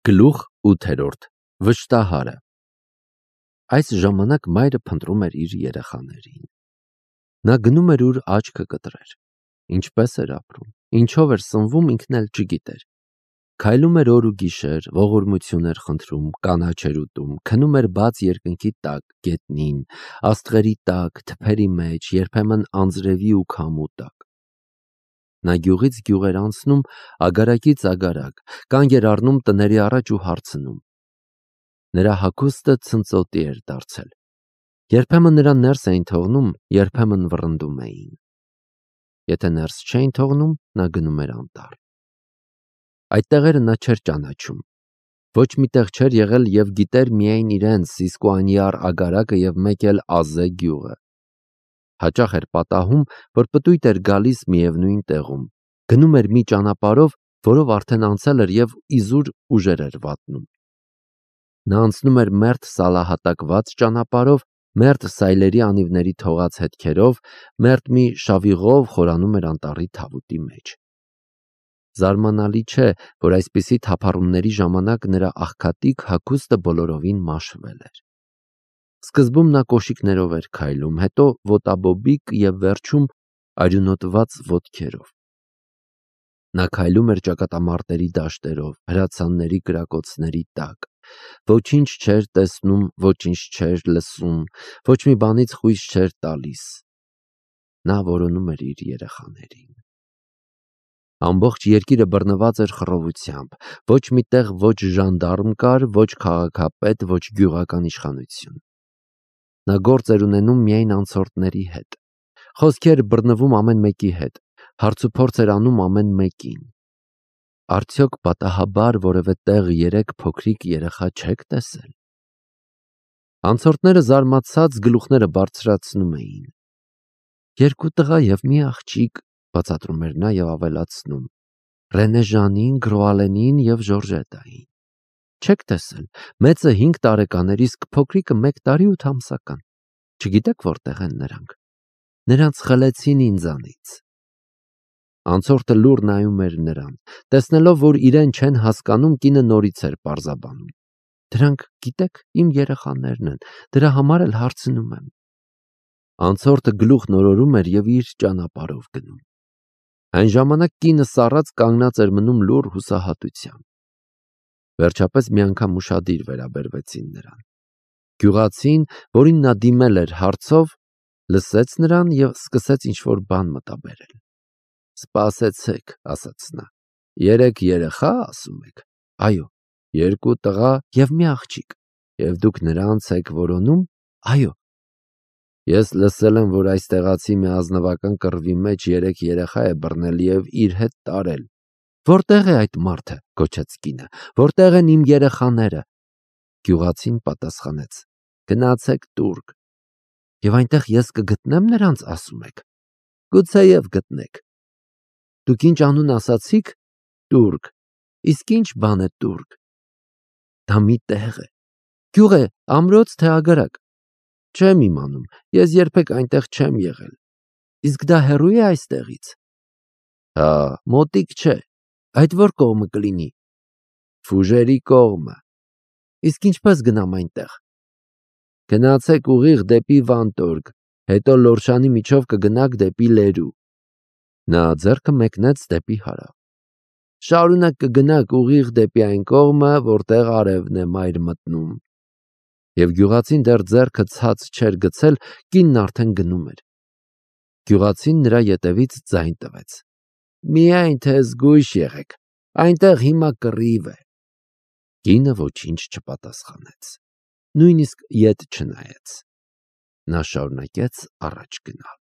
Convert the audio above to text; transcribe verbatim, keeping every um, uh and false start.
Գլուխ ութերորդ Վշտահարը Այս ժամանակ մայրը փնտրում էր իր երեխաներին։ Նա գնում էր ուր աչքը կտրեր։ Ինչպես էր ապրում, ինչով էր սնվում, ինքն էլ չգիտեր։ Քայլում էր օր ու գիշեր, ողորմություն էր խնդրում, կանաչ էր ուտում, քնում էր բաց երկնքի տակ, գետնին, աստղերի տակ, թփերի մեջ, երբեմն անձրևի ու քամու տակ։ Նա գյուղից գյուղ էր անցնում, ագարակից ագարակ, կանգ էր առնում տների առաջ ու հարցնում։ Նրա հագուստը ցնծոտի էր դարձել։ Երբեմն նրան ներս էին թողնում, երբեմն վռնդում էին։ Եթե ներս չէին թողնում, նա գնում էր անտառ։ Այդ տեղերը նա չէր ճանաչում։ Ոչ մի տեղ չէր եղել և գիտեր միայն իրենց Սիսկոանյար ագարակը և մեկ էլ Ազե գյուղը։ Հաճախ էր պատահում, որ պտույտ էր գալիս միևնույն տեղում, գնում էր մի ճանապարհով, որով արդեն անցել էր և իզուր ուժեր էր վատնում։ Նա անցնում էր մերթ սալահատակված ճանապարհով, մերթ սայլերի անիվների թողած հետքերով, մերթ մի շավիղով խորանում էր անտառի թավուտի մեջ։ Զարմանալի չէ, որ այսպիսի թափառումների ժամանակ նրա աղքատիկ հագուստը բոլորովին մաշվել էր։ Սկզբում նա կոշիկներով էր քայլում, հետո ոտաբոբիկ և վերջում արյունոտված ոտքերով։ Նա քայլում էր ճակատամարտերի դաշտերով, հրացանների կրակոցների տակ։ Ոչինչ չէր տեսնում, ոչինչ չէր լսում, ոչ մի բանից խույս չէր տալիս։ Նա որոնում էր իր երեխաներին։ Ամբողջ երկիրը բռնված էր խռովությամբ, ոչ մի տեղ ոչ ժանդարմ կար, ոչ քաղաքապետ, ոչ գյուղական իշխանություն։ Նա գործ էր ունենում միայն անցորդների հետ, խոսքի էր բռնվում ամեն մեկի հետ, հարցուփորձ էր անում ամեն մեկին։ Արդյոք պատահաբար որևէ տեղ երեք փոքրիկ երեխա չեք տեսել։ Անցորդները զարմացած գլուխները բարձրացնում էին։ Երկու տղա և մի աղջիկ, բացատրում էր նա և ավելացնում. Ռենեժանին, Գրոալենին և Ժորժետային։ Չեք տեսել, մեծը հինգ տարեկան էր, իսկ փոքրիկը մեկ տարի ութ ամսական։ Չգիտեք որտեղ են նրանք։ Նրանց խլեցին ինձանից։ Անցորդը լուռ նայում էր նրան, տեսնելով, որ իրեն չեն հասկանում, կինը նորից էր պարզաբանում. Դրանք, գիտեք, իմ երեխաներն են, դրա համար էլ հարցնում եմ։ Անցորդը գլուխ նորորում էր և իր ճանապարհով գնում։ Այն ժամանակ կինը սառած կանգնած էր մնում լուռ հուսահատությամբ։ Վերջապես մի անգամ ուշադիր վերաբերվեցին նրան։ Գյուղացին, որին նա դիմել էր հարցով, լսեց նրան և սկսեց ինչ-որ բան մտաբերել։ Սպասեցեք, ասաց նա, երեք երեխա ասում եք։ Այո, երկու տղա և մի աղջիկ։ Եվ դուք նրանց եք որոնում։ Այո։ Ես լսել եմ, որ այս տեղացի մի ազնվական կռվի մեջ երեք երեխա է բռնել և իր հետ տարել։ Որտեղ է այդ մարդը, գոչեց կինը, որտեղ են իմ երեխաները։ Գյուղացին պատասխանեց. Գնացեք տուրք։ Եվ այնտեղ ես կգտնեմ նրանց, ասում եք։ Գուցեև գտնեք։ Դուք ինչ անուն ասացիք։ Տուրք։ Իսկ ինչ բան է տուրք։ Դա մի տեղ է։ Գյուղ է, ամրոց թե ագարակ։ Չեմ իմանում, ես երբեք այնտեղ չեմ եղել։ Իսկ դա հեռու է այստեղից։ Հա, մոտիկ չէ։ Այդ որ կողմը կլինի։ Ֆուժերի կողմը։ Իսկ ինչպես գնամ այնտեղ։ Գնացեք ուղիղ դեպի Վանտորգ, հետո Լորշանի միջով կգնաք դեպի Լերու։ Նա ձեռքը մեկնեց դեպի հարավ։ Շարունակ կգնաք ուղիղ դեպի այն կողմը, որտեղ արևն է մայր մտնում։ Եվ գյուղացին դեռ ձեռքը ցած չէր գցել, կինն արդեն գնում էր։ Գյուղացին նրա ետևից ձայն տվեց. Միայն թե զգույշ եղեք, այնտեղ հիմա կռիվ է։ Կինը ոչինչ չպատասխանեց, նույնիսկ ետ չնայեց։ Նա շարունակեց առաջ գնալ։